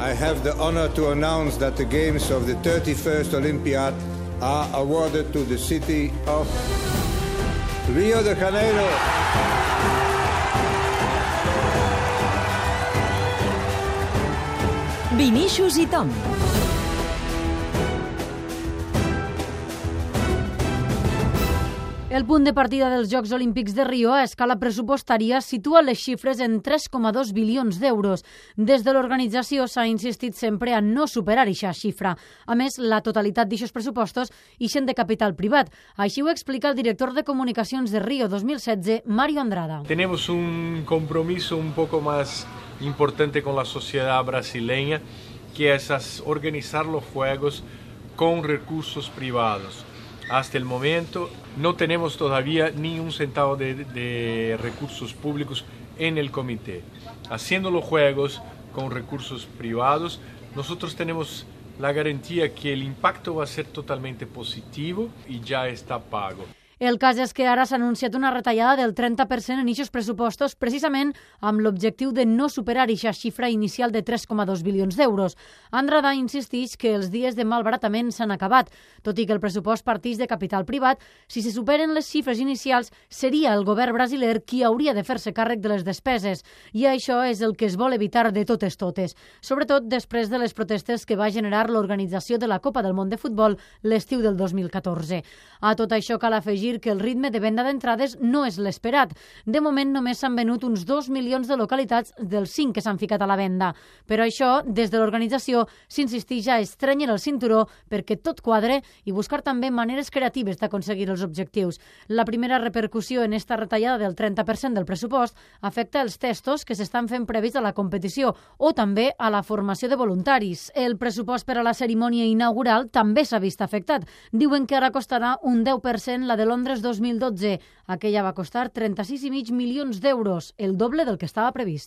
I have the honor to announce that the games of the 31st Olympiad are awarded to the city of Rio de Janeiro. Vinícius i Tom. El punt de partida dels Jocs Olímpics de Rio a escala pressupostària situa les xifres en 3,2 bilions d'euros. Des de l'organització s'ha insistit sempre a no superar aquesta xifra. A més, la totalitat d'aquests pressupostos ixen de capital privat. Així ho explica el director de comunicacions de Rio 2016, Mario Andrada. Tenemos un compromiso un poco más importante con la sociedad brasileña, que es organizar los Juegos con recursos privados. Hasta el momento no tenemos todavía ni un centavo de recursos públicos en el comité. Haciendo los Juegos con recursos privados, nosotros tenemos la garantía que el impacto va a ser totalmente positivo y ya está pago. El cas és que ara s'ha anunciat una retallada del 30% en aquests pressupostos, precisament amb l'objectiu de no superar aquesta xifra inicial de 3,2 bilions d'euros. Andrada insisteix que els dies de malbaratament s'han acabat. Tot i que el pressupost parteix de capital privat, si se superen les xifres inicials, seria el govern brasiler qui hauria de fer-se càrrec de les despeses. I això és el que es vol evitar de totes, sobretot després de les protestes que va generar l'organització de la Copa del Món de Futbol l'estiu del 2014. A tot això cal afegir que el ritme de venda d'entrades no és l'esperat. De moment només s'han venut uns 2 milions de localitats dels 5 que s'han ficat a la venda. Però això, des de l'organització, s'insisteix a estrènyer el cinturó perquè tot quadre i buscar també maneres creatives d'aconseguir els objectius. La primera repercussió en esta retallada del 30% del pressupost afecta els testos que s'estan fent previs a la competició o també a la formació de voluntaris. El pressupost per a la cerimònia inaugural també s'ha vist afectat. Diuen que ara costarà un 10% la de Londres 2012. Aquella va costar 36,5 milions d'euros, el doble del que estava previst.